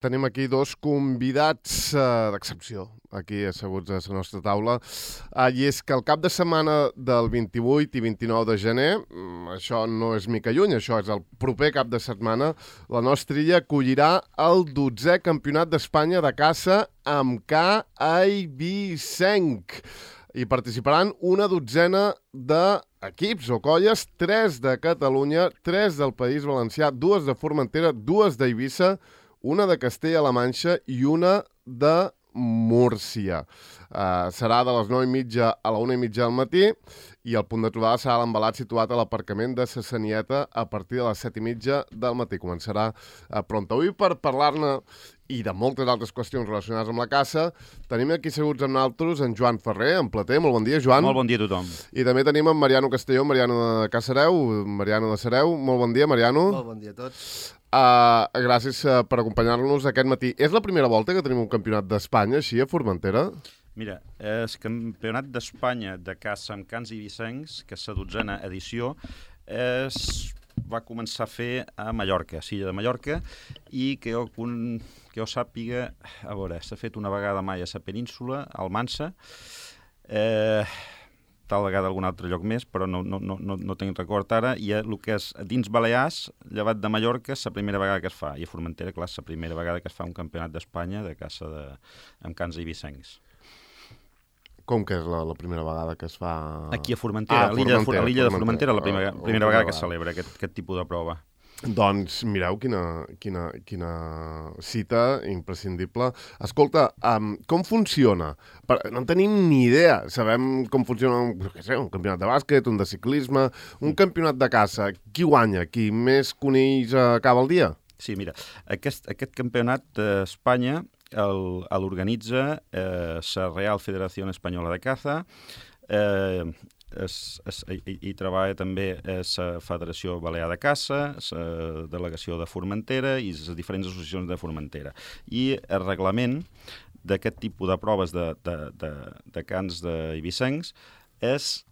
Tenim aquí dos convidats d'excepció, aquí asseguts a la nostra taula, i és que el cap de setmana del 28 i 29 de gener, això no és mica lluny, això és el proper cap de setmana, la nostra illa acollirà el 12è Campionat d'Espanya de caça amb ca eivissenc. Hi participaran una dotzena d'equips o colles, 3 de Catalunya, 3 del País Valencià, 2 de Formentera, 2 d'Eivissa, una de Castella-La Manxa i una de Múrcia. Serà de les 9:30 a la 1:30 del matí i el punt de trobada serà l'embalat situat a l'aparcament de Sa Sanieta a partir de les 7:30 del matí. Començarà pront. Avui per parlar-ne i de moltes altres qüestions relacionades amb la caça, tenim aquí seguts amb nosaltres en Joan Ferrer, en Plater. Molt bon dia, Joan. Molt bon dia a tothom. I també tenim en Mariano Castelló, Mariano de Caçareu, Mariano de Sareu. Molt bon dia, Mariano. Molt bon dia a tots. Gràcies per acompanyar-nos aquest matí. És la primera volta que tenim un campionat d'Espanya així a Formentera? Mira, el Campionat d'Espanya de caça amb cans eivissencs, que és la 12a edició, va començar a fer a Mallorca, a l'illa de Mallorca, i que jo sàpiga, a veure, s'ha fet una vegada mai a la península, al Almansa, tal vegada algun altre lloc més, però no tinc record ara, i el que és dins Balears, llevat de Mallorca, és la primera vegada que es fa, i a Formentera, clar, és la primera vegada que es fa un campionat d'Espanya de caça amb cans eivissencs. Com que és la primera vegada que es fa? Aquí a Formentera, a l'illa de Formentera, la primera vegada que es celebra aquest tipus de prova. Doncs mireu quina cita imprescindible. Escolta, com funciona? No en tenim ni idea. Sabem com funciona un campionat de bàsquet, un de ciclisme, un campionat de caça. Qui guanya? Qui més conills acaba el dia? Sí, mira, aquest campionat d'Espanya l'organitza la Real Federació Espanyola de Caza, hi treballa també la Federació Balear de Caça, la Delegació de Formentera i les diferents associacions de Formentera. I el reglament d'aquest tipus de proves de cans d'eivissencs és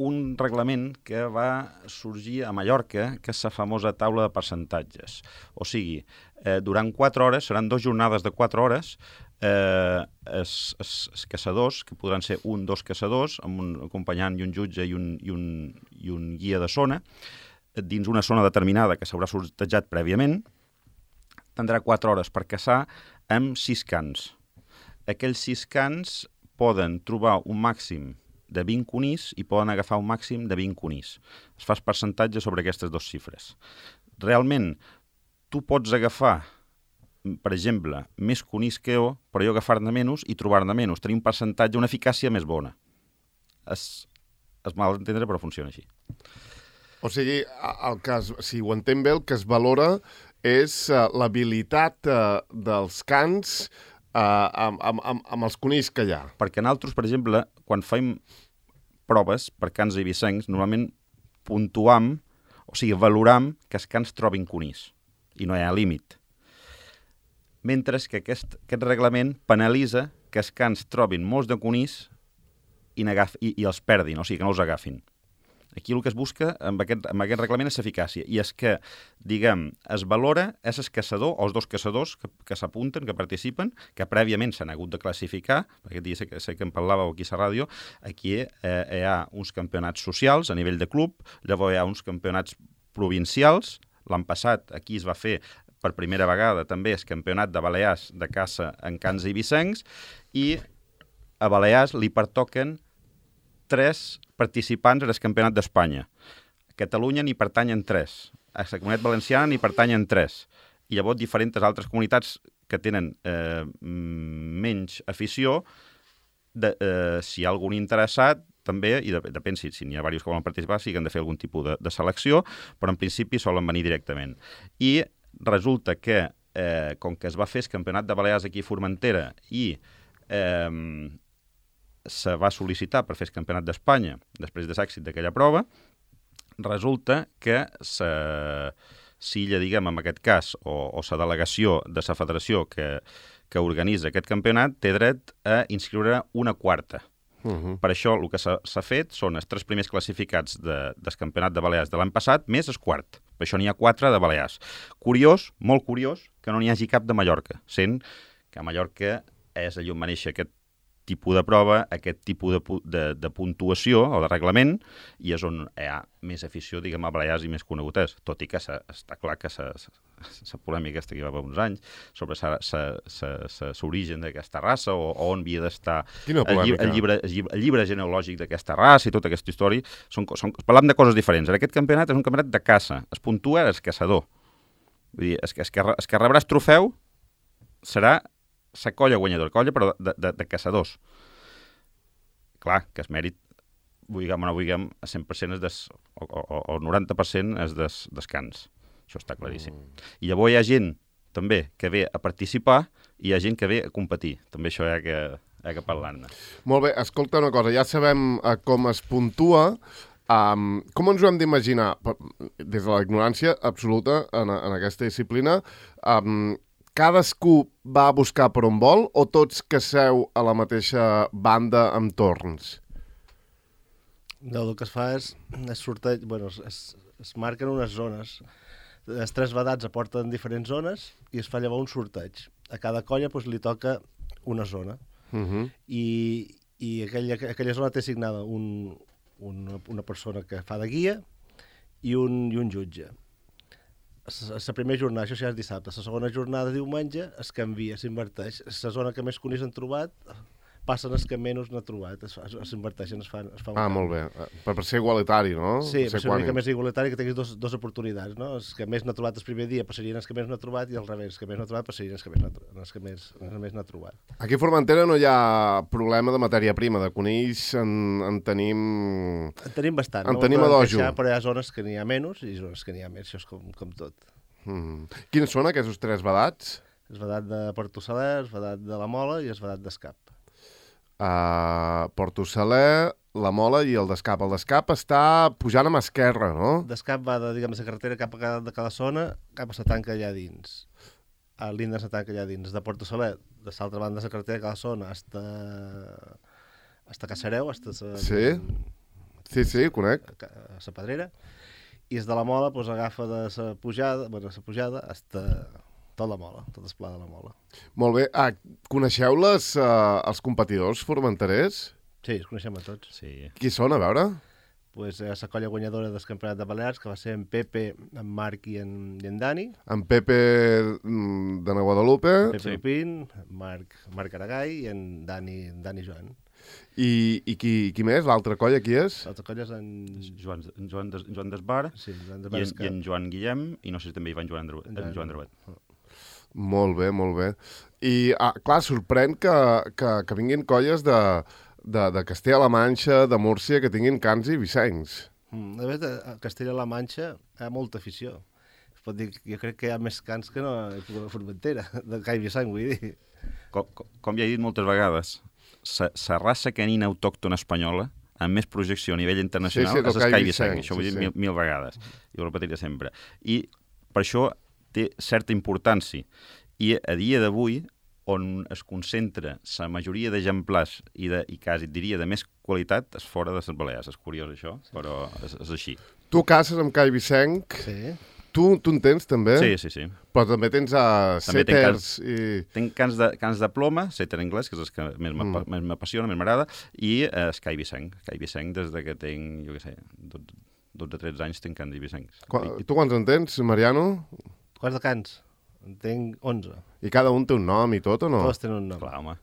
un reglament que va sorgir a Mallorca, que és la famosa taula de percentatges. O sigui, durant 4 hores, seran 2 jornades de 4 hores, els caçadors, que podran ser 2 caçadors, amb un acompanyant i un jutge i un guia de zona, dins una zona determinada que s'haurà sortejat prèviament, tindrà 4 hores per caçar amb 6 cans. Aquells 6 cans poden trobar un màxim de 20 conills i poden agafar un màxim de 20 conills. Es fa percentatge sobre aquestes 2 xifres. Realment, tu pots agafar, per exemple, més conills que jo, però jo agafar-ne menys i trobar-ne menys. Tenir un percentatge, una eficàcia més bona. És mal d'entendre, però funciona així. O sigui, si ho entenc bé, el que es valora és l'habilitat dels cans amb els conills que hi ha. Perquè nosaltres, per exemple, quan fem proves per cans eivissencs, normalment puntuam, o sigui, valoram que els cans trobin conills, i no hi ha límit. Mentre que aquest reglament penalitza que els cans trobin molts de conills i els perdin, o sigui, que no els agafin. Aquí el que es busca amb aquest reglament és l'eficàcia, i és que, diguem, es valora és el caçador, o els 2 caçadors que s'apunten, que participen, que prèviament s'han hagut de classificar, aquest dia sé que en parlàveu aquí a la ràdio, aquí hi ha uns campionats socials a nivell de club, llavors hi ha uns campionats provincials, l'any passat aquí es va fer per primera vegada també el campionat de Balears de caça en cans eivissencs, i a Balears li pertoquen 3 participants al Campionat d'Espanya. A Catalunya n'hi pertanyen 3. A la Comunitat Valenciana n'hi pertanyen 3. I llavors diferents altres comunitats que tenen menys afició, si hi ha algun interessat, també, i depèn si n'hi ha diversos que volen participar, si han de fer algun tipus de selecció, però en principi solen venir directament. I resulta que, com que es va fer el Campionat de Balears aquí a Formentera i se va sol·licitar per fer el Campionat d'Espanya després de l'èxit d'aquella prova, resulta que l'illa, diguem, en aquest cas, o la delegació de la federació que organitza aquest campionat, té dret a inscriure una quarta Per això el que s'ha fet són els 3 primers classificats del Campionat de Balears de l'any passat, més el quart. Per això n'hi ha 4 de Balears. Curiós, molt curiós, que no n'hi hagi cap de Mallorca, sent que a Mallorca és allà on va néixer aquest tipus de prova, aquest tipus de puntuació o de reglament, i és on hi ha més afició, diguem, a Balears i més conegut és, tot i que està clar que la polèmica aquesta que hi va haver uns anys sobre l'origen d'aquesta raça o on havia d'estar el llibre genealògic d'aquesta raça i tota aquesta història. Parlam de coses diferents. En aquest campionat és un campionat de caça. Es puntua el caçador. Vull dir, el que rebrà el trofeu serà la colla guanyadora, colla però de caçadors. Clar, que el mèrit, vulguem o no vulguem, a 100% o el 90% és des cans. Això està claríssim. I llavors hi ha gent, també, que ve a participar i hi ha gent que ve a competir. També això hi ha que parlar-ne. Molt bé, escolta una cosa, ja sabem com es puntua. Com ens ho hem d'imaginar? Des de la ignorància absoluta en aquesta disciplina, cadascú va a buscar per on vol o tots que seu a la mateixa banda amb torns? No, el que es fa és sorteig, bueno, es marquen unes zones. Els 3 vedats aporten diferents zones i es fa llavors un sorteig. A cada colla li toca una zona. I aquella zona té assignada una persona que fa de guia i un jutge. La primera jornada, això ja és dissabte, la segona jornada, diumenge, es canvia, s'inverteix. La zona que més conills han trobat, passen els que menys n'ha trobat, s'inverteixen, es fa un canvi. Molt bé, per ser igualitari, no? Sí, per ser una mica més igualitari, que tinguis dos oportunitats, no? Els que més n'ha trobat el primer dia passarien els que més n'ha trobat i al revés, els que més n'ha trobat passarien els que més n'ha trobat. Aquí a Formentera no hi ha problema de matèria prima, de conills en tenim... En tenim bastant, en tenim a dojo. Però hi ha zones que n'hi ha menys i zones que n'hi ha més, això és com tot. Quins són aquests 3 vedats? El vedat de Porto Saler, el vedat de la Mola i el vedat d'Escap. Porto Saler, la Mola i el d'Escap. El d'Escap està pujant a mà esquerra, no? D'Escap va de la carretera cap a cada zona, cap a la tanca allà dins. A l'Inda la tanca allà dins. De Porto Saler, de l'altra banda de la carretera cada zona, hasta Cacereu, hasta Sí, conec. La Pedrera. I el de la Mola agafa de la pujada hasta tot la Mola, tot el pla de la Mola. Molt bé. Coneixeu els competidors formenterers? Sí, els coneixem a tots. Sí. Qui són, a veure? La colla guanyadora del Campionat de Balears, que va ser en Pepe, en Marc i en Dani. En Pepe de Guadalupe. Pepe Lupín, Marc Aragall i en Dani Joan. I qui més? L'altra colla qui és? L'altra colla és en Joan Desbar, sí, i en Joan Guillem, i no sé si també hi va en Joan Drebet. Molt bé, molt bé. I, clar, sorprèn que vinguin colles de Castella-La Manxa, de Múrcia, que tinguin cans i vicencs. De fet, a Castella-La Manxa hi ha molta afició. Es pot dir, jo crec que hi ha més cans que no a Formentera, de ca i vicenc, vull dir. Com ja he dit moltes vegades, la raça canina autòctona espanyola amb més projecció a nivell internacional és el ca i vicenc. Això ho he dit mil vegades, i ho repetiré sempre. I per això té certa importància. I a dia d'avui, on es concentra la majoria d'exemplars i quasi diria de més qualitat, és fora de les Balears. És curiós això, però és així. Tu caces amb ca i vicenc? Sí. Tu en tens, també? Sí. Però també tens sèters i... Tenc cans de ploma, sèter anglès, que és el que més m'apassiona, més m'agrada, i ca i vicenc. Ca i vicenc des que tenc, jo què sé, 12-13 anys tenc cans i vicencs. Tu quants en tens, Mariano? Quants de cans? En tenc 11. I cada un té un nom i tot, o no? Tots tenen un nom. Clar, home.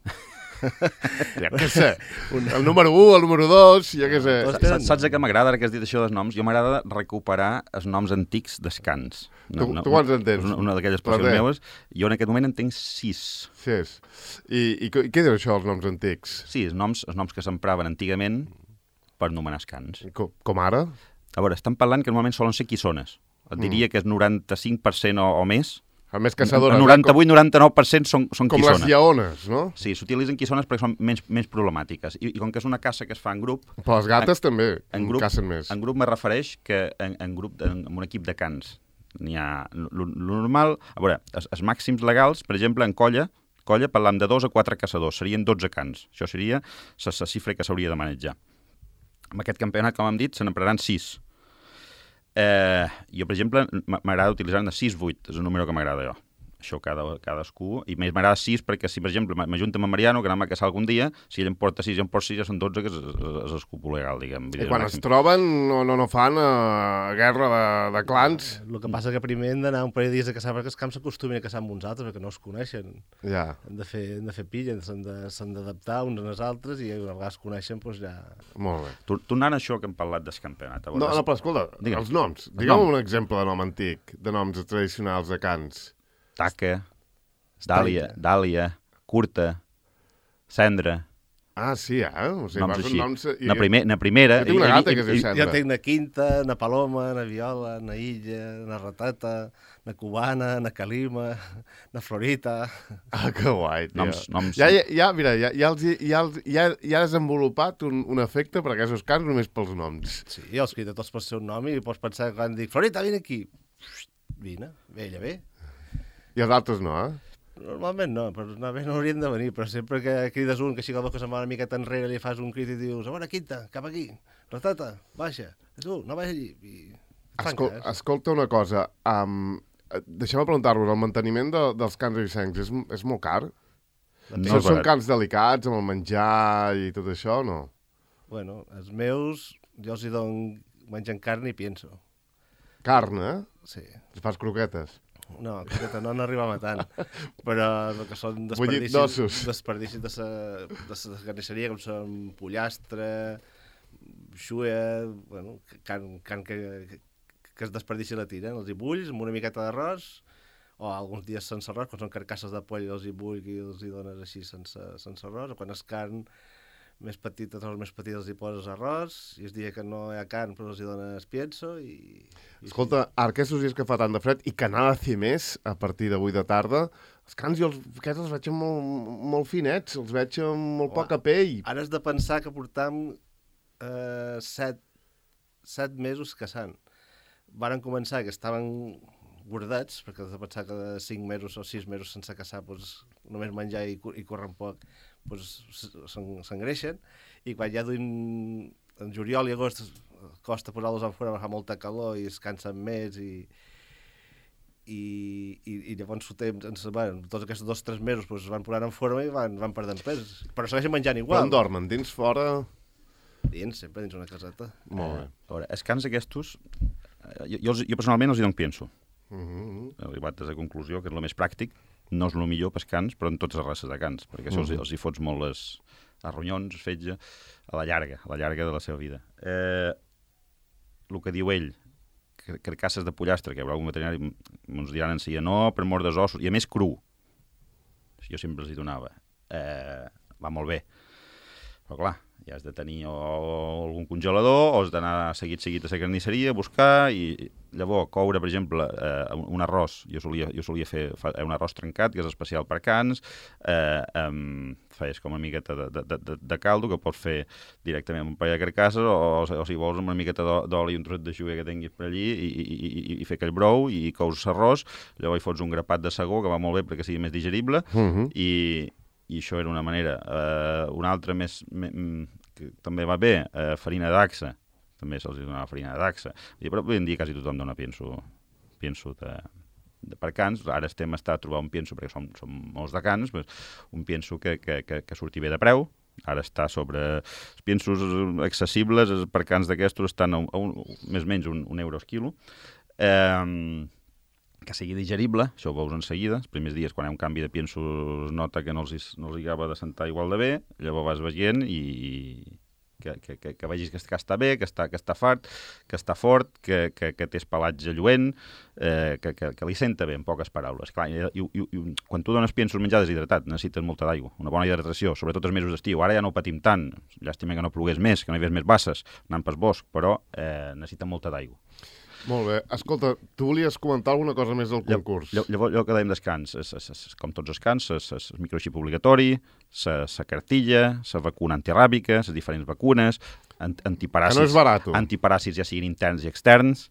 Ja què sé. El número 1, el número 2, ja què sé. Saps què m'agrada, ara que has dit això dels noms? Jo m'agrada recuperar els noms antics dels cants. Tu quants en tens? Una d'aquelles passions meves. Jo en aquest moment en tenc 6. 6. I què diu això, els noms antics? Sí, els noms que s'empraven antigament per nomenar els cants. Com ara? A veure, estan parlant que normalment solen ser quissones. Et diria que és 95% o més. A més caçadores. El 98-99% són com quissones. Com les lleones, no? Sí, s'utilitzen quissones perquè són menys problemàtiques. I com que és una caça que es fa en grup... Però les gates també cacen més. En grup me refereix que en un equip de cans. N'hi ha... Lo normal... A veure, els màxims legals, per exemple, en colla, colla parlam de 2 a 4 caçadors, serien 12 cans. Això seria la xifra que s'hauria de manejar. Amb aquest campionat, com hem dit, se n'empraran 6. Jo, per exemple, m'agrada utilitzar-ne 6-8, és el número que m'agrada jo. Això cadascú, i més m'agrada 6 perquè si, per exemple, m'ajunto amb en Mariano, que anem a caçar algun dia, si ell em porta 6 i em porta 6, ja són 12, que és el cupo legal, diguem. I quan es troben no fan guerra de clans. El que passa que primer hem d'anar un parell de dies a caçar perquè els camps s'acostumin a caçar amb uns altres, perquè no es coneixen. Ja. Han de fer pilla, s'han d'adaptar uns als altres i una vegada es coneixen, doncs ja... Molt bé. Tornant a això que hem parlat del campionat. No, però escolta, els noms. Digue'm un exemple de nom antic, de noms tradicionals de cans. Taca, Dàlia, Curta, Cendra. Ah, sí, O sigui, noms així. Noms... Na primera... Jo tinc una gata que es diu Cendra. Jo tinc na Quinta, na Paloma, na Viola, na Illa, na Ratata, na Cubana, na Calima, na Florita... Ah, que guai, tio. Noms... Mira, ja ha desenvolupat un efecte per aquests cants només pels noms. Sí, els crida tots pel seu nom i pots pensar que quan dic Florita, vine aquí. Vine, ella ve. I els altres no, Normalment no, però no haurien de venir, però sempre que crides un, que així que se'n va una miqueta enrere, li fas un crit i dius, a veure, Quinta, cap aquí, Ratata, baixa, tu, no baix allí. I Escolta una cosa, deixeu-me preguntar-vos, el manteniment dels cans eivissencs és molt car? No, són cans delicats, amb el menjar i tot això, o no? Bueno, els meus, jo els hi dono menjant carn i pienso. Carn, Sí. Els fas croquetes? No, no n'arribam a tant, però el que són desperdicis de la carnisseria, com són pollastre, xuea, bueno, carn que es desperdici la tiren, els hi bulls amb una miqueta d'arròs, o alguns dies sense arròs, quan són carcasses de poll els hi bull i els hi dones així sense arròs, o quan és carn més petita, els més petits els hi poses arròs, i el dia que no hi ha carn però els hi dones pienso i... Escolta, ara aquests dies que fa tant de fred i que n'ha de fer més a partir de 8 de tarda, els cans jo aquests els veig molt finets, els veig amb molt poca pell. Ara has de pensar que portam 7 mesos caçant. Varen començar que estaven gordats, perquè has de pensar que de 5 mesos o 6 mesos sense caçar, doncs, només menjar i córrer poc, doncs, s'engreixen, i quan ja duim en juliol i agost costa posar-los a fora, fa molta calor i es cansen més i llavors tots aquests 2 o 3 mesos doncs, es van posant en forma i van perdent pes, però segueixen menjant igual. Però on dormen? Dins, fora? Dins, sempre dins una caseta. Molt bé. A veure, els cans aquests, jo personalment els hi dono pienso. He arribat a la conclusió que és el més pràctic, no és el millor pels cans, però en totes les races de cans, perquè això els hi fots molt els ronyons, fetge, a la llarga de la seva vida. El que diu ell, carcasses de pollastre, que hi haurà un veterinari, ens diran en si no, per mort dels ossos, i a més cru. Jo sempre els hi donava. Va molt bé. Però clar, ja has de tenir algun congelador, o has d'anar seguit a la carnisseria a buscar, i llavors coure, per exemple, un arròs. Jo solia fer un arròs trencat, que és especial per cans, feies com una miqueta de caldo, que pots fer directament amb un parell de carcasses, o si vols amb una miqueta d'oli i un trosset de xuer que tinguis per allí, i fer aquell brou, i cous l'arròs, llavors hi fots un grapat de segó, que va molt bé perquè sigui més digerible, i això era una manera. Una altra que també va bé, farina d'axa, també se'ls donava farina d'axa, però avui en dia quasi tothom dona pienso per cans. Ara estem a trobar un pienso, perquè som molts de cans, un pienso que surti bé de preu. Ara està sobre els piensos accessibles, per cans d'aquestos estan més o menys un euro al quilo. Que sigui digerible, això ho veus en seguida. Els primers dies, quan hi ha un canvi de pienso, es nota que no els acaba de sentar igual de bé, llavors vas veient i que vegis que està bé, que està fart, que està fort, que té pelatge lluent, que li senta bé, en poques paraules. Clar, i quan tu dones piensos menjar deshidratat, necessites molta d'aigua, una bona hidratació, sobretot els mesos d'estiu. Ara ja no ho patim tant, llàstima que no plogués més, que no hi hagués més basses, anant pel bosc, però necessita molta d'aigua. Molt bé. Escolta, tu volies comentar alguna cosa més del concurs? Llavors, allò que dèiem dels cans, com tots els cans, el microxip obligatori, la cartilla, la vacuna antiràbica, les diferents vacunes, antiparàsits, que no és barat. antiparàsits ja siguin interns i externs,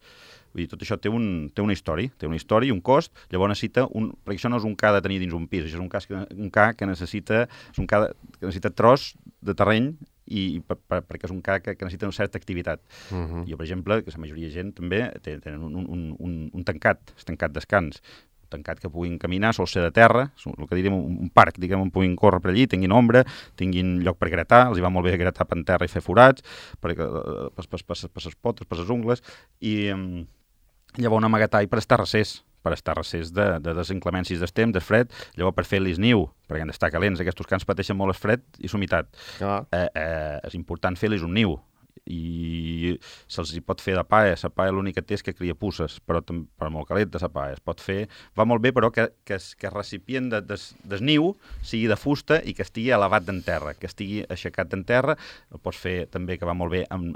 Vull dir, tot això té una història, i un cost, llavors necessita perquè això no és un ca de tenir dins un pis, això és un ca que necessita, que necessita tros de terreny perquè és un ca que necessita una certa activitat. Jo, per exemple, que la majoria de gent també tenen un tancat, el tancat descans, tancat que puguin caminar, sol ser de terra, el que diríem un parc, diguem, on puguin córrer per allí, tinguin ombra, tinguin lloc per gratar, els hi va molt bé gratar per terra i fer forats, per les potes, per les ungles, i llavors un amagatall per estar recés de les inclemències del temps, del fred, llavors per fer-los niu, perquè han d'estar calents, aquests cans pateixen molt el fred i l'humitat. És important fer-los un niu, i se'ls hi pot fer de paia. La paia l'únic que té és que cria puces, però molt calenta la paia. Es pot fer, va molt bé, però que el recipient del niu sigui de fusta i que estigui elevat d'en terra, que estigui aixecat d'en terra. El pots fer també, que va molt bé, amb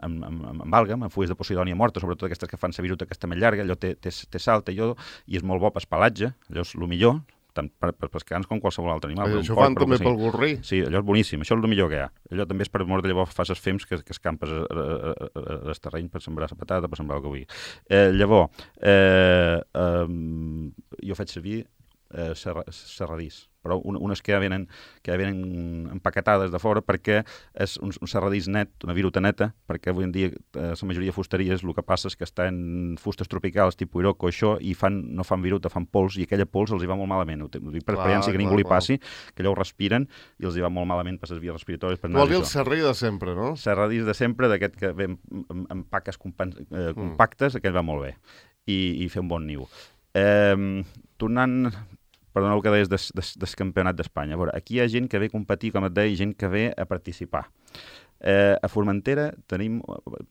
àlgam, amb fulles de posidònia morta, sobretot aquestes que fan la viruta aquesta més llarga, allò té sal, té iodo, i és molt bo per pelatge, allò és el millor, tant per pescans com qualsevol altre animal. Això fan també pel gorrí. Sí, allò és boníssim, això és el millor que hi ha. Allò també és per mort, llavors fas els fems que escampes el terreny per sembrar la patata, per sembrar el que vulgui. Llavors, jo faig servir serradís, però unes que ja venen empaquetades de fora perquè és un serradís net, una viruta neta, perquè avui en dia la majoria de fusteries el que passa és que està en fustes tropicals tipus Iroco, això, i no fan viruta, fan pols, i aquella pols els hi va molt malament. Ho dic per experiència, que ningú li passi, que allò ho respiren i els hi va molt malament per les vies respiratòries. Vol dir el serradís de sempre, no? Serradís de sempre, d'aquest que ve en paques compactes, aquest va molt bé, i fer un bon niu. Tornant... Perdoneu que deies del campionat d'Espanya. A veure, aquí hi ha gent que ve a competir, com et deia, i gent que ve a participar. A Formentera tenim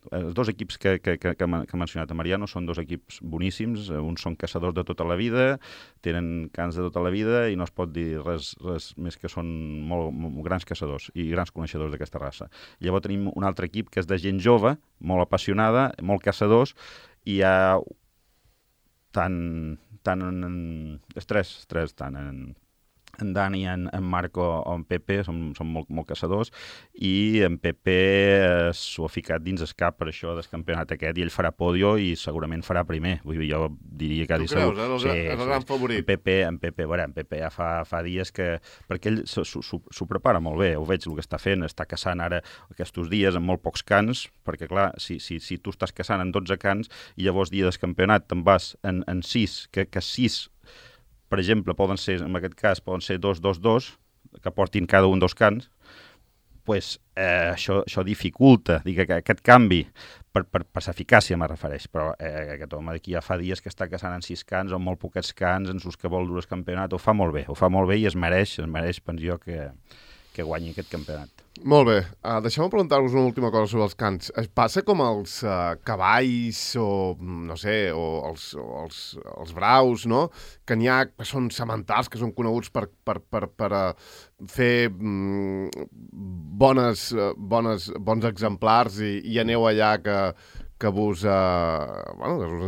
els dos equips que ha mencionat a Mariano, són dos equips boníssims, uns són caçadors de tota la vida, tenen cans de tota la vida i no es pot dir res més que són molt grans caçadors i grans coneixedors d'aquesta raça. Llavors tenim un altre equip que és de gent jove, molt apassionada, molt caçadors, i hi ha tant en Dani, en Marco o en Pepe són molt caçadors, i en Pepe s'ho ha ficat dins el cap per això del campionat aquest, i ell farà podio i segurament farà primer. Vull dir, jo diria que... Tu creus, el gran favorit? En Pepe ja fa dies que... Perquè ell s'ho prepara molt bé, ho veig el que està fent, està caçant ara aquests dies en molt pocs cans, perquè clar, si tu estàs caçant en 12 cans i llavors dia del campionat te'n vas en 6, que 6... per exemple, en aquest cas, poden ser 2-2-2, que portin cada un dos cans, pues, això dificulta, aquest canvi, per l'eficàcia me refereix, però aquest home d'aquí ja fa dies que està caçant en 6 cans, o en molt poquets cans, en sus que vol dur el campionat, ho fa molt bé i es mereix, penso jo, que guanyi aquest campionat. Molt bé. Deixeu-me preguntar-vos una última cosa sobre els cans. Es passa com els cavalls o, no sé, o els braus, no? Que n'hi ha que són sementals, que són coneguts per fer bons exemplars i aneu allà que us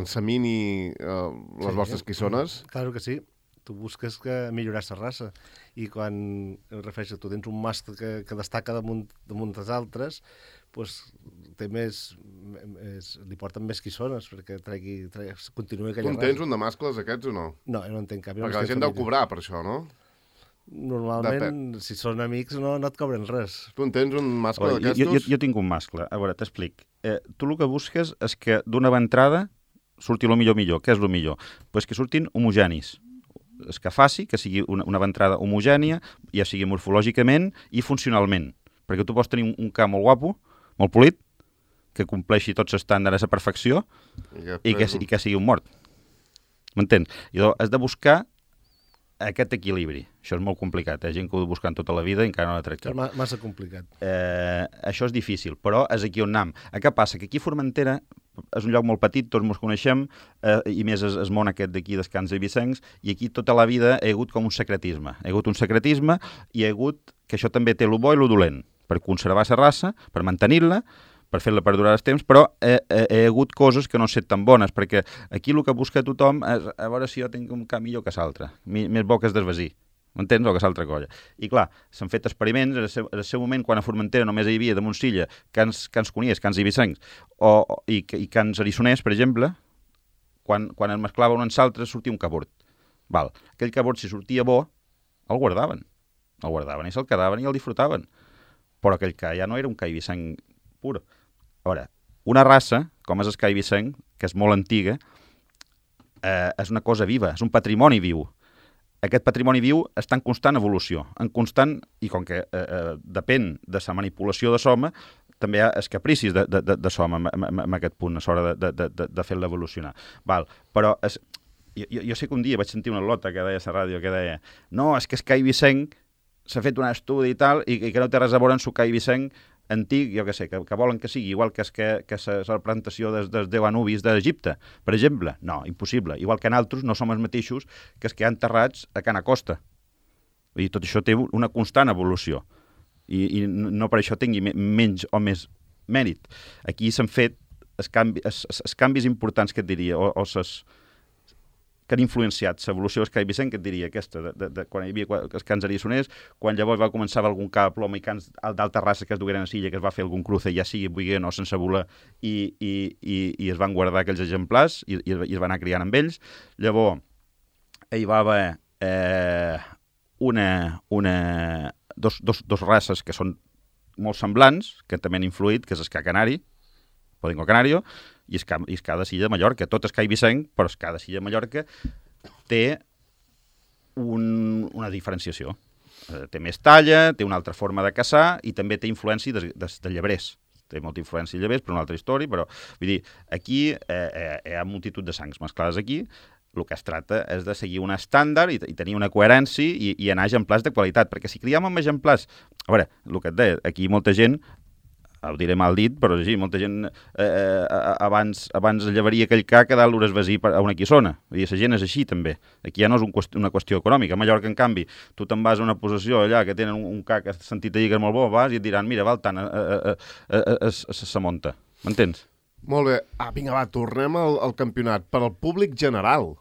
ensamini les vostres quissones? Claro que sí. Tu busques millorar la raça, i quan refereixes, tu tens un mascle que destaca damunt dels altres, doncs li porten més quissones perquè continuï aquella raça. Tu en tens un de mascles aquests o no? No, jo no en tenc cap. Perquè la gent deu cobrar per això, no? Normalment, si són amics, no et cobren res. Tu en tens un mascle d'aquestos? Jo tinc un mascle. A veure, t'explic. Tu el que busques és que d'una entrada surti el millor. Què és el millor? Pues que surtin homogenis. És que faci que sigui una ventrada homogènia, ja sigui morfològicament i funcionalment. Perquè tu pots tenir un ca molt guapo, molt polit, que compleixi tots els estàndards a perfecció i que sigui un mort. M'entens? I has de buscar aquest equilibri. Això és molt complicat. Hi ha gent que ho buscant tota la vida i encara no l'ha tret. És massa complicat. Això és difícil, però és aquí on anem. Què passa? Que aquí a Formentera és un lloc molt petit, tots ens coneixem, i més el món aquest d'aquí dels Cans Eivissencs, i aquí tota la vida hi ha hagut com un secretisme. Hi ha hagut un secretisme i hi ha hagut, que això també té el bo i el dolent, per conservar la raça, per mantenir-la, per fer-la perdurar els temps, però hi ha hagut coses que no han estat tan bones, perquè aquí el que busca tothom és a veure si jo tinc un ca millor que l'altre, més bo que es desvasir. M'entens? O que és altra colla. I clar, s'han fet experiments, en el seu moment, quan a Formentera només hi havia de Montsilla cans conies, cans eivissencs, i cans arissoners, per exemple, quan es mesclava un en l'altre sortia un cabort. Val. Aquell cabort, si sortia bo, el guardaven. El guardaven i se'l quedaven i el disfrutaven. Però aquell ca ja no era un ca eivissenc pur. A veure, una raça, com és el ca eivissenc, que és molt antiga, és una cosa viva, és un patrimoni viu. Aquest patrimoni viu està en constant evolució, en constant, i com que depèn de la manipulació de soma, també hi ha els capricis de soma en aquest punt, a l'hora de fer-la evolucionar. Val. Però jo sé que un dia vaig sentir una lota que deia a la ràdio que deia no, és que el ca eivissenc s'ha fet un estudi i tal, i que no té res a veure amb el ca eivissenc antic, jo què sé, que volen que sigui igual que la plantació dels 10 Anubis d'Egipte, per exemple. No, impossible. Igual que nosaltres no som els mateixos que els que han enterrats a Can Acosta. I tot això té una constant evolució. I no per això tingui menys o més mèrit. Aquí s'han fet els canvis importants que et diria, o que han influenciat l'evolució del ca eivissenc, que et diria aquesta, de quan hi havia els cans ariçoners, quan llavors va començar algun ca de ploma i cans d'alta raça que es dugueren a silla, que es va fer algun cruce, ja sigui buiguent o sense voler, i es van guardar aquells exemplars i es van anar criant amb ells. Llavors, hi va haver dos races que són molt semblants, que també han influït, que és el ca canari, Podenco Canario, i el ca de Silla de Mallorca. Tot és ca eivissenc, però el ca de Silla de Mallorca té una diferenciació. Té més talla, té una altra forma de caçar i també té influència de llebrers. Té molta influència de llebrers, per una altra història, però vull dir, aquí hi ha multitud de sangs mesclades aquí. El que es tracta és de seguir un estàndard i tenir una coherència i anar a exemplars de qualitat, perquè si criam amb exemplars... A veure, el que et deia, aquí molta gent, ho diré mal dit, però sí, molta gent abans llevaria aquell ca que dalt l'Uresvesí a una quissona. Vull dir, la gent és així, també. Aquí ja no és una qüestió econòmica. A Mallorca, en canvi, tu te'n vas a una possessió allà que tenen un ca que has sentit a dir que és molt bo, vas i et diran, mira, val tant, se munta. M'entens? Molt bé. Vinga, va, tornem al campionat. Per al públic general,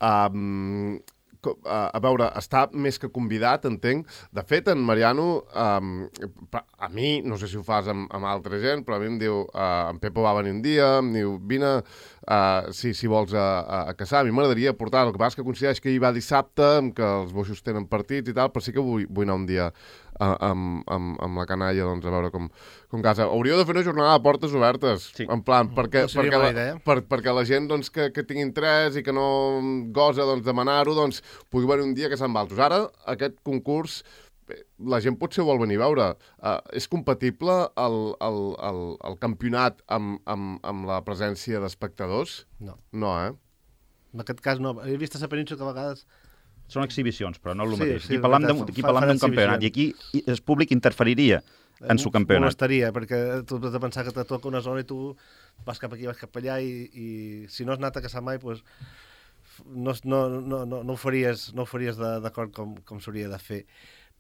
a veure, està més que convidat, entenc. De fet, en Mariano, a mi, no sé si ho fas amb altra gent, però a mi em diu, en Pepo va venir un dia, em diu, vine, si vols a caçar. A mi m'agradaria portar, el que passa és que coincideix que hi va dissabte, que els boixos tenen partits i tal, però sí que vull anar un dia amb la canalla, doncs, a veure com casa. Hauríeu de fer una jornada de portes obertes, sí. En plan, perquè la gent doncs, que tingui interès i que no gosa doncs, demanar-ho, doncs, pugui venir un dia que se'n va altres. Ara, aquest concurs, la gent potser vol venir a veure. És compatible el campionat amb la presència d'espectadors? No. No, En aquest cas no. He vist a la península que a vegades... Són exhibicions, però no és el mateix. Sí, aquí parlam d'un campionat i aquí el públic interferiria en el campionat. Molestaria, perquè tu has de pensar que te toca una zona i tu vas cap aquí, vas cap allà i si no has anat a caçar mai, doncs no ho faries d'acord com s'hauria de fer.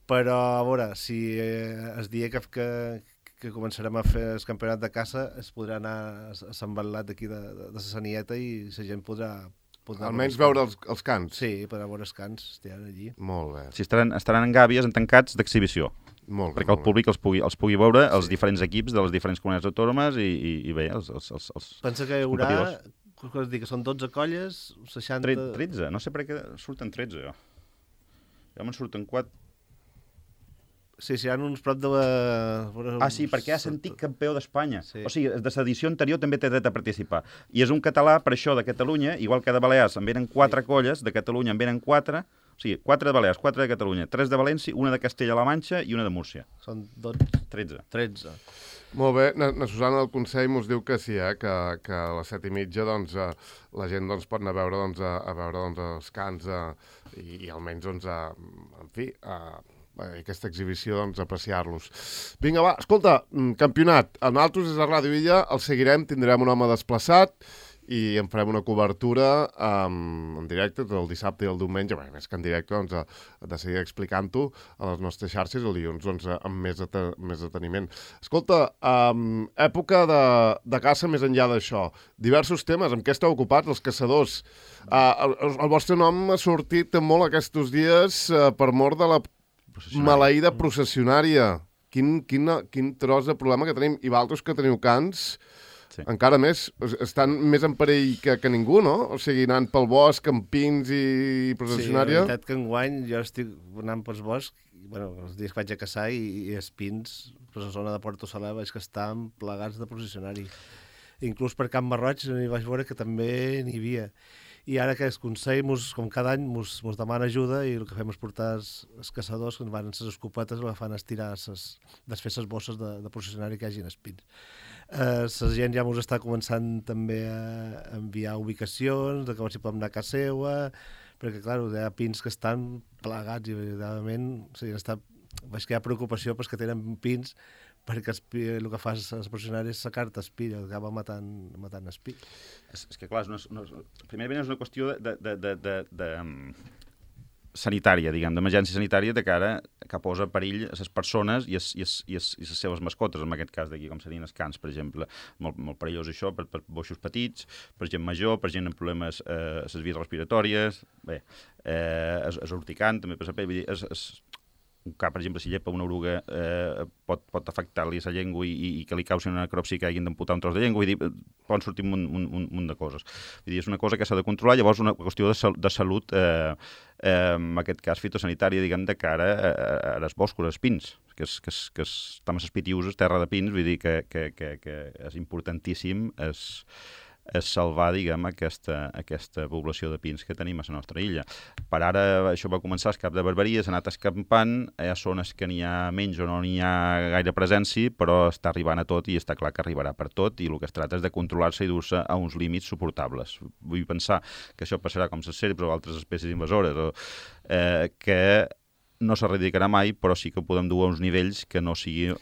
Però, a veure, si es dia que començarem a fer el campionat de caça, es podrà anar a Sant Batlat d'aquí de la Sanieta i la gent podrà almenys veure els cants. Sí, per veure els cants, estaran allí. Molt bé. Si estaran en gàbies, en tancats d'exhibició. Molt bé. Perquè el públic els pugui veure, els diferents equips de les diferents comunitats autònomes i bé, els pensa que hi haurà, que són 12 colles, 60... 13, no sé per què surten 13, jo. Ja me'n surten 4. Sí, hi ha uns prop de... Sí, perquè és antic campió d'Espanya. Sí. O sigui, de l'edició anterior també té dret a participar. I és un català, per això, de Catalunya, igual que de Balears, en venen 4 colles, de Catalunya en venen 4, o sigui, 4 de Balears, 4 de Catalunya, 3 de València, una de Castella-La Manxa i una de Múrcia. Són 12... 13. Molt bé. Na Susana del Consell mos diu que sí, que a les 7:30 doncs, la gent doncs, pot anar a veure, a veure els cants i almenys, doncs, en fi... aquesta exhibició, doncs, apreciar-los. Vinga, va, escolta, campionat. A nosaltres és a Ràdio Illa, el seguirem, tindrem un home desplaçat i en farem una cobertura en directe tot el dissabte i el diumenge, bé, més que en directe, doncs, de seguir explicant-ho a les nostres xarxes el dilluns, doncs, amb més deteniment. Escolta, època de caça més enllà d'això. Diversos temes, amb què esteu ocupats, els caçadors? El vostre nom ha sortit molt aquests dies per mort de la maleïda processionària. Quin tros de problema que tenim. I vosaltres que teniu cans, Sí. encara més, estan més en perill que ningú, no? O sigui, anant pel bosc, amb pins i processionària. Sí, la veritat que enguany jo estic anant pels boscs, bueno, els dies que vaig a caçar i els pins, per la zona de Porto Salà, veig que estan plegats de processionari. Inclús per Camp Marroig hi vaig veure que també n'hi havia. I ara que el Consell, com cada any, mos demana ajuda i el que fem és portar els caçadors que van amb les escopetes i el que fan és tirar desfer les bosses de processionari que hi hagi en els pins. La gent ja mos està començant també a enviar ubicacions, de que si podem anar a casa seva, perquè, clar, hi ha pins que estan plegats i, veritablement, o sigui, veig que hi ha preocupació pels que tenen pins perquè el que fa el processionari és sacar-te espill, acaba matant espill. És que, clar, primerament és una qüestió de sanitària, diguem, d'emergència sanitària de cara que posa perill a les persones i les seves mascotes, en aquest cas d'aquí, com serien els cans, per exemple. Molt perillós això per boixos petits, per gent major, per gent amb problemes a les vies respiratòries, bé, és urticant, també per saber, vull dir, un cap, per exemple, si llepa una oruga pot afectar-li la llengua i que li causi una necropsi que hagin d'amputar un tros de llengua, vull dir, poden sortir un munt de coses. Vull dir, és una cosa que s'ha de controlar, llavors una qüestió de salut, en aquest cas fitosanitària, diguem, de cara a les boscos, als pins, que estan a les Pitiuses, terra de pins, vull dir que és importantíssim és salvar, diguem, aquesta població de pins que tenim a la nostra illa. Per ara, això va començar al cap de Barberia, s'ha anat escampant, hi ha zones que n'hi ha menys o no n'hi ha gaire presència, però està arribant a tot i està clar que arribarà per tot, i el que es tracta és de controlar-se i dur-se a uns límits suportables. Vull pensar que això passarà com les serps o altres espècies invasores, que no s'erradicarà mai, però sí que podem dur a uns nivells que no sigui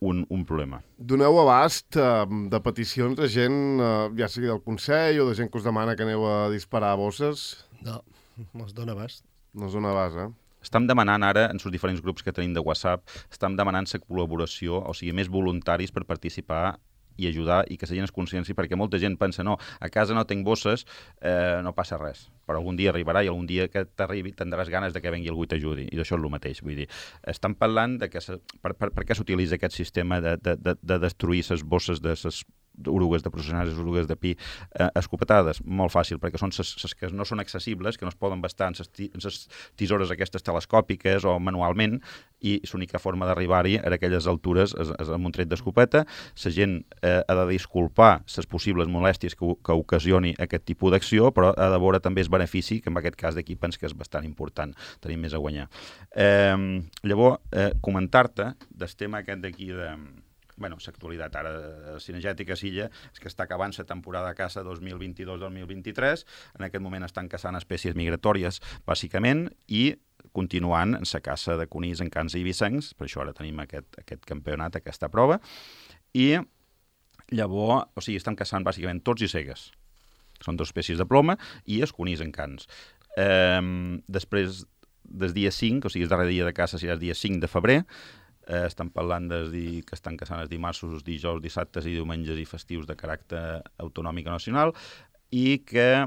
un problema. Doneu abast de peticions de gent, ja sigui del Consell o de gent que us demana que aneu a disparar bosses? No es dona abast. No es dona abast, Estem demanant ara, en els diferents grups que tenim de WhatsApp, estem demanant la col·laboració, o sigui, més voluntaris per participar i ajudar i que la gent es consciència, perquè molta gent pensa, no, a casa no tinc bosses, no passa res, però algun dia arribarà i algun dia que t'arribi tindràs ganes de que vengui algú i t'ajudi, i d'això és el mateix, vull dir, estan parlant de que per què s'utilitza aquest sistema de destruir les bosses de les orugues de processionàries, orugues de pi escopetades? Molt fàcil, perquè són les que no són accessibles, que no es poden bastar en les tisores aquestes telescòpiques o manualment, i l'única forma d'arribar-hi a aquelles altures és amb un tret d'escopeta. La gent ha de disculpar les possibles molèsties que ocasioni aquest tipus d'acció, però ha de veure també el benefici, que en aquest cas d'aquí penso que és bastant important, tenim més a guanyar. Llavors, comentar-te del tema aquest d'aquí de... Bueno, l'actualitat ara cinegètica a Silla és que està acabant la temporada de caça 2022-2023. En aquest moment estan caçant espècies migratòries, bàsicament, i continuant en la caça de conills en cans i eivissencs, per això ara tenim aquest campionat, aquesta prova, i llavors, o sigui, estan caçant bàsicament tots i cegues. Són dues espècies de ploma i els conills en cans. Després del dia 5, o sigui, el darrer dia de caça serà el dia 5 de febrer, estan parlant que estan caçant els dimarts, els dijous, dissabtes i diumenges i festius de caràcter autonòmic o nacional, i que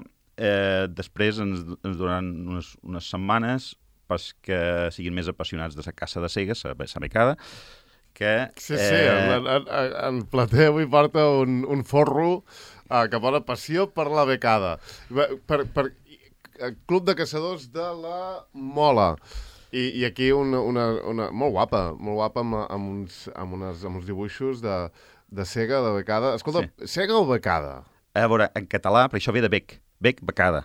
després ens donaran unes setmanes perquè siguin més apassionats de la caça de cegues, la becada, que... Sí, en Plater avui porta un forro que posa passió per la becada. Per Club de Caçadors de la Mola. I aquí una molt guapa amb uns dibuixos de cega, de becada. Escolta, sí. Cega o becada? A veure, en català, perquè això ve de bec, becada.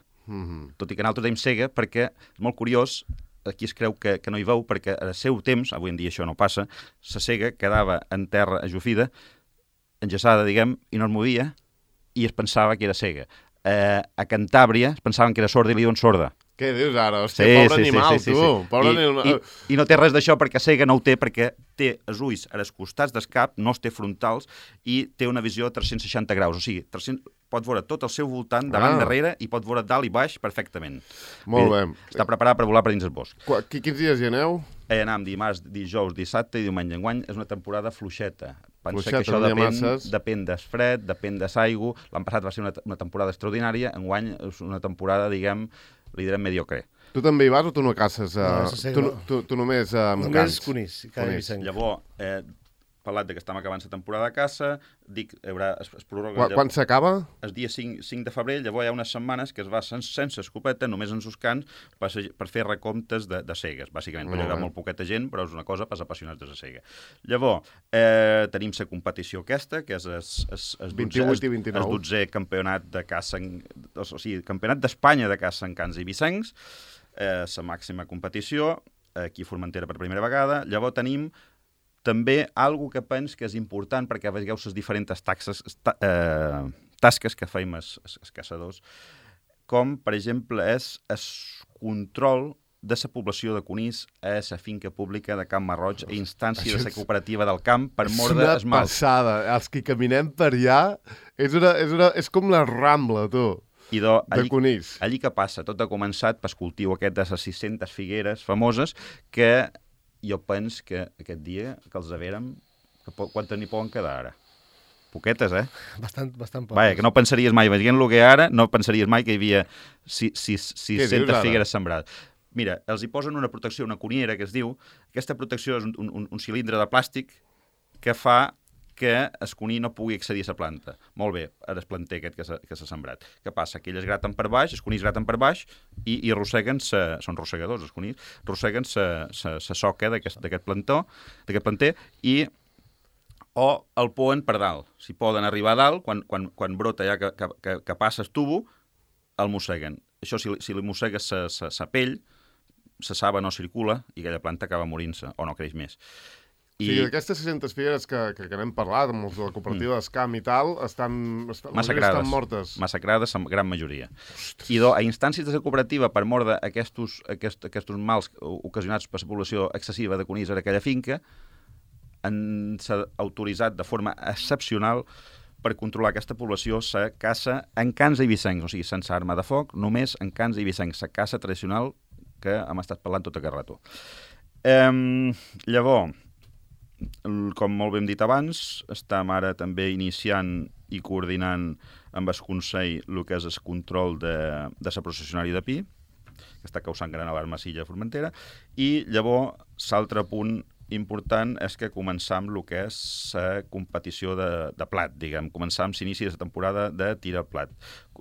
Tot i que nosaltres dèiem cega, perquè és molt curiós, aquí es creu que no hi veu, perquè al seu temps, avui en dia això no passa, la cega quedava en terra ajufida, enllaçada, diguem, i no es movia, i es pensava que era cega. A Cantàbria es pensaven que era sorda i li diuen sorda. Què dius ara? Hòstia, pobre animal, tu. Pobre animal. I no té res d'això, perquè cega no ho té, perquè té els ulls als costats del cap, no els té frontals, i té una visió de 360 graus. O sigui, pot veure tot el seu voltant, davant, darrere, i pot veure dalt i baix perfectament. Molt bé. Està preparat per volar per dins el bosc. Quins dies hi aneu? Anem dimarts, dijous, dissabte i diumenge. Enguany és una temporada fluixeta. Pensa que això depèn del fred, depèn de l'aigua. L'any passat va ser una temporada extraordinària. Enguany és una temporada, diguem, li direm mediocre. Tu també hi vas o tu no caces? No. Tu només amb cans? Només conills. Llavors, parlat que estem acabant la temporada de caça, dic, es prorroga... Quan s'acaba? El dia 5 de febrer, llavors hi ha unes setmanes que es va sense escopeta, només en sus cants, per fer recomptes de cegues, bàsicament, perquè hi haurà molt poqueta gent, però és una cosa per als apassionats de la cega. Llavors, tenim la competició aquesta, que és el 28 i 29. 12è campionat de caça, o sigui, campionat d'Espanya de caça en cans i vicencs, la màxima competició, aquí a Formentera per primera vegada. Llavors tenim també algo que penso que és important perquè veieu les diferents tasques que feim els caçadors, com, per exemple, és el control de la població de conills a la finca pública de Camp Marroig a instància de la cooperativa del camp per mordre esmalt. És una passada. Els que caminem per allà és com la Rambla, tu. De conills. Allí que passa, tot ha començat pel cultiu aquest de les 600 figueres famoses que jo penso que aquest dia que els haverem, quantes n'hi poden quedar ara? Poquetes, Bastant poques. Vaja, que no pensaries mai, veient el que hi ha ara, no pensaries mai que hi havia 600 figueres sembrades. Mira, els hi posen una protecció, una coniera, que es diu. Aquesta protecció és un cilindre de plàstic que fa que el conill no pugui accedir a la planta. Molt bé, ara el planter aquest que s'ha sembrat. Què passa? Que elles graten per baix, els conills graten per baix i arrosseguen, són rossegadors els conills, arrosseguen la soca d'aquest planter i o el poen per dalt. Si poden arribar a dalt, quan brota ja que passa el tubo, el mosseguen. Això, si li mossegues la pell, la saba no circula i aquella planta acaba morint-se o no creix més. Sí, d'aquestes 600 figueres que n'hem parlat, amb els de la cooperativa d'Escam i tal, estan mortes. Massacrades, la gran majoria. I a instàncies de la cooperativa per mordre aquests mals ocasionats per la població excessiva de conills a aquella finca, s'ha autoritzat de forma excepcional per controlar aquesta població la caça en cans i vicencs, o sigui, sense arma de foc, només en cans i vicencs, la caça tradicional que hem estat parlant tot aquest rato. Llavors, com molt bé hem dit abans, estem ara també iniciant i coordinant amb el Consell el que és el control de la processionària de pi, que està causant gran alarma a Silla Formentera, i llavors l'altre punt important és que començam el que és la competició de plat, diguem. Començam l'inici de la temporada de tir al plat.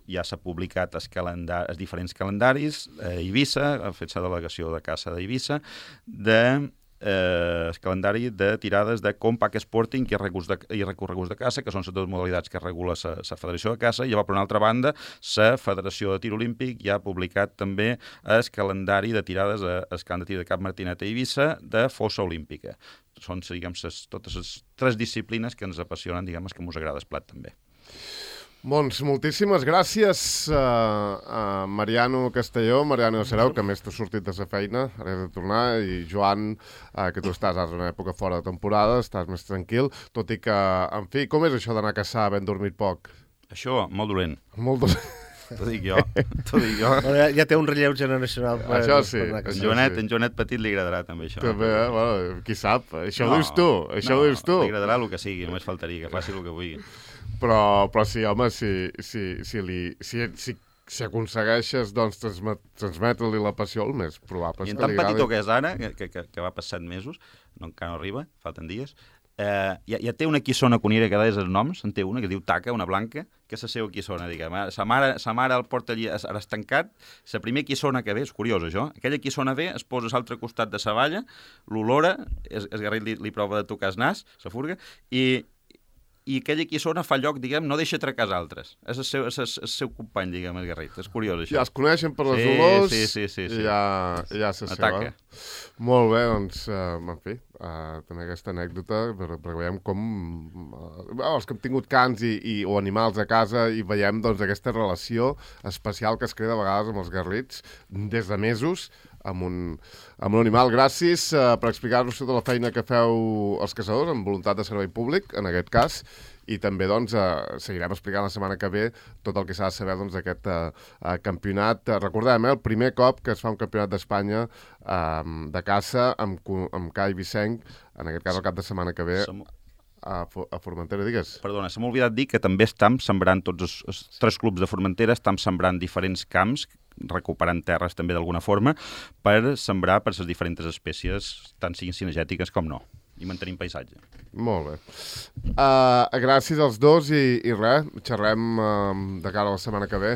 Ja s'ha publicat els diferents calendaris a Eivissa, ha fet la delegació de caça d'Eivissa, el calendari de tirades de Compact Sporting i recorreguts de caça, que són les dues modalitats que regula la Federació de Caça, i llavors, per una altra banda, la Federació de Tir Olímpic ja ha publicat també el calendari de tirades al camp de tir de Cap Martinet a Eivissa de fossa olímpica. Són, diguem, totes les tres disciplines que ens apassionen, diguem, que ens agrada el plat també. Doncs moltíssimes gràcies a Mariano Castelló, Mariano Serau, que més t'ha sortit de la feina, ara has de tornar, i Joan, que tu estàs ara en una època fora de temporada, estàs més tranquil, tot i que, en fi, com és això d'anar a caçar havent dormit poc? Això, molt dolent. Molt dolent. T'ho dic jo. Bueno, ja té un relleu generacional. Això sí. En Joanet Petit li agradarà també això. També, bueno, qui sap, això ho dius tu, ho dius tu. Li agradarà el que sigui, només faltaria, que faci el que vulgui. Però sí, home, si aconsegueixes doncs, transmetre-li la passió, el més probable és que li agradi. I en tan petitó que és ara, que va per 7 mesos, encara no arriba, falten dies, ja té una quissona conira que deies els noms, en té una que diu Taca, una blanca, que és la seva quissona, diguem. Sa mare el porta allí estancat, la primera quissona que ve, és curiós això, aquella quissona ve, es posa a l'altre costat de la valla, l'olora, el garrit li prova de tocar el nas, la furga, i aquella quissona fa lloc, diguem, no deixa trecar els altres. És el seu company, diguem, el garrit. És curiós, això. Ja es coneixen per les olors sí. I ja se seva. Molt bé, doncs, en fi, també aquesta anècdota, perquè veiem com els que hem tingut cans o animals a casa i veiem doncs, aquesta relació especial que es crea de vegades amb els garrits des de mesos, amb un animal. Gràcies per explicar-nos tota la feina que feu els caçadors amb voluntat de servei públic, en aquest cas, i també doncs, seguirem explicant la setmana que ve tot el que s'ha de saber d'aquest campionat. Recordem, el primer cop que es fa un campionat d'Espanya de caça amb ca i vicenc, en aquest cas el cap de setmana que ve a Formentera, digues. Perdona, se m'ha oblidat dir que també estem sembrant, tots els 3 clubs de Formentera estem sembrant diferents camps, recuperant terres també d'alguna forma, per sembrar per les diferents espècies, tant siguin cinegètiques com no. i mantenim paisatge. Molt bé. Gràcies als dos i res, xerrem de cara a la setmana que ve.